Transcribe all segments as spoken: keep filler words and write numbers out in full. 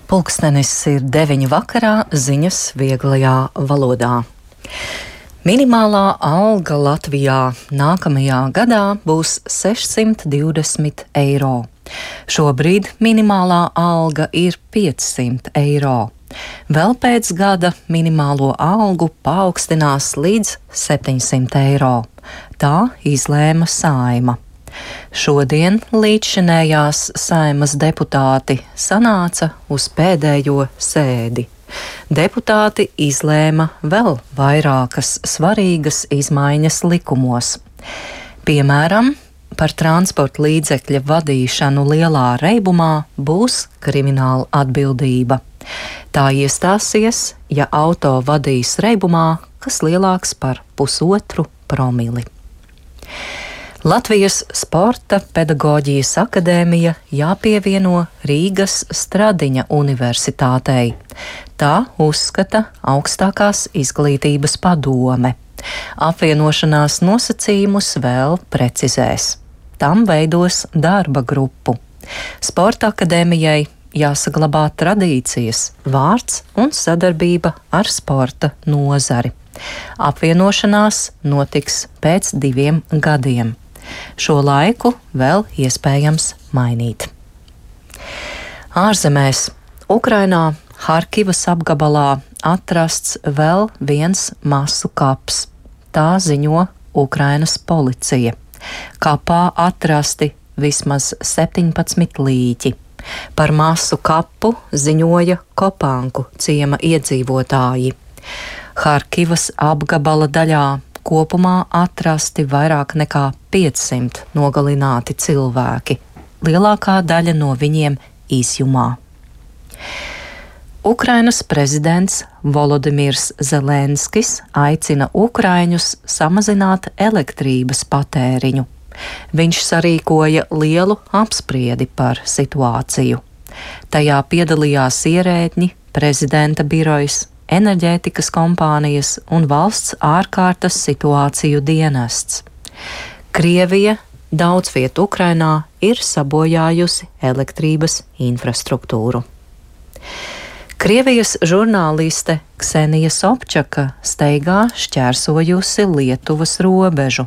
Pulkstenis ir deviņi vakarā, ziņas vieglajā valodā. Minimālā alga Latvijā nākamajā gadā būs sešsimt divdesmit eiro. Šobrīd minimālā alga ir piecsimt eiro. Vēl pēc gada minimālo algu paaugstinās līdz septiņsimt eiro. Tā izlēma Saeima. Šodien līdzšinējās Saeimas deputāti sanāca uz pēdējo sēdi. Deputāti izlēma vēl vairākas svarīgas izmaiņas likumos. Piemēram, par transporta līdzekļa vadīšanu lielā reibumā būs krimināla atbildība. Tā iestāsies, ja auto vadīs reibumā, kas lielāks par pusotru promili. Latvijas Sporta pedagoģijas akadēmija jāpievieno Rīgas Stradiņa universitātei. Tā uzskata augstākās izglītības padome. Apvienošanās nosacījumus vēl precizēs. Tam veidos darba grupu. Sporta akadēmijai jāsaglabā tradīcijas, vārds un sadarbība ar sporta nozari. Apvienošanās notiks pēc diviem gadiem. Šo laiku vēl iespējams mainīt. Ārzemēs Ukrainā Harkivas apgabalā atrasts vēl viens masu kaps. Tā ziņo Ukrainas policija. Kapā atrasti vismaz septiņpadsmit līķi. Par masu kapu ziņoja Kopanku ciema iedzīvotāji. Harkivas apgabala daļā kopumā atrasti vairāk nekā piecsimt nogalināti cilvēki, lielākā daļa no viņiem izjumā. Ukrainas prezidents Volodimirs Zelenskis aicina ukraiņus samazināt elektrības patēriņu. Viņš sarīkoja lielu apspriedi par situāciju. Tajā piedalījās ierēdņi, prezidenta birojas, enerģētikas kompānijas un valsts ārkārtas situāciju dienests. Krievija daudz viet Ukrainā ir sabojājusi elektrības infrastruktūru. Krievijas žurnāliste Ksenija Sobčaka steigā šķērsojusi Lietuvas robežu.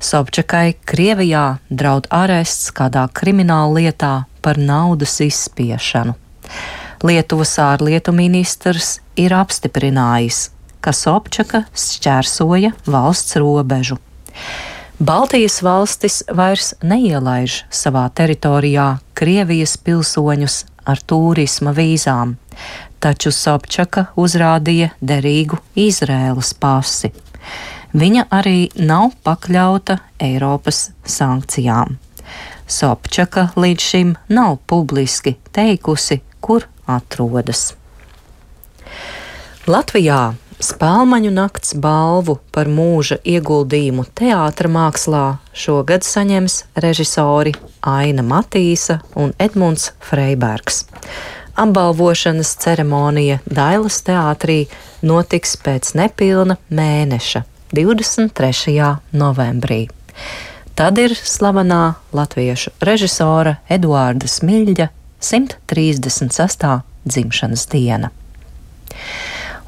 Sobčakai Krievijā draud arests kādā krimināla lietā par naudas izspiešanu. Lietuvas ārlietu ministrs ir apstiprinājis, ka Sobčaka šķērsoja valsts robežu. Baltijas valstis vairs neielaiž savā teritorijā Krievijas pilsoņus ar tūrisma vīzām, taču Sobčaka uzrādīja derīgu Izraēlas pasi. Viņa arī nav pakļauta Eiropas sankcijām. Sobčaka līdz šim nav publiski teikusi, kur atrodas. Latvijā Spēlmaņu nakts balvu par mūža ieguldījumu teātra mākslā šogad saņems režisori Aina Matīsa un Edmunds Freibergs. Apbalvošanas ceremonija Dailas teātrī notiks pēc nepilna mēneša, divdesmit trešajā novembrī. Tad ir slavenā latviešu režisora Eduarda Smiļģa simt trīsdesmit sestā dzimšanas diena.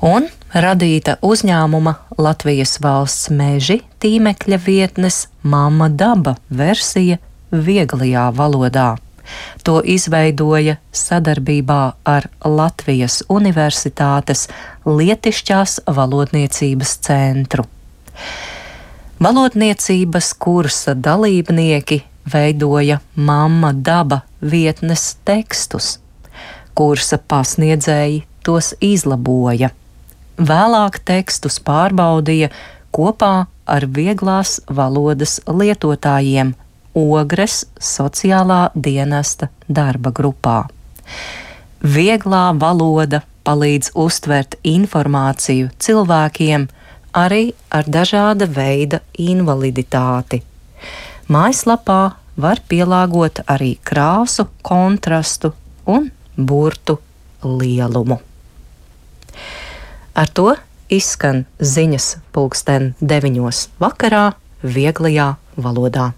Un radīta uzņēmuma Latvijas valsts meži tīmekļa vietnes Mamma Daba versija vieglajā valodā. To izveidoja sadarbībā ar Latvijas Universitātes Lietišķās valodniecības centru. Valodniecības kursa dalībnieki veidoja Mamma Daba vietnes tekstus. Kursa pasniedzēji tos izlaboja. Vēlāk tekstus pārbaudīja kopā ar vieglās valodas lietotājiem Ogres sociālā dienesta darba grupā. Vieglā valoda palīdz uztvert informāciju cilvēkiem arī ar dažāda veida invaliditāti. Mājaslapā var pielāgot arī krāsu, kontrastu un burtu lielumu. Ar to izskan ziņas pulksten deviņos vakarā vieglajā valodā.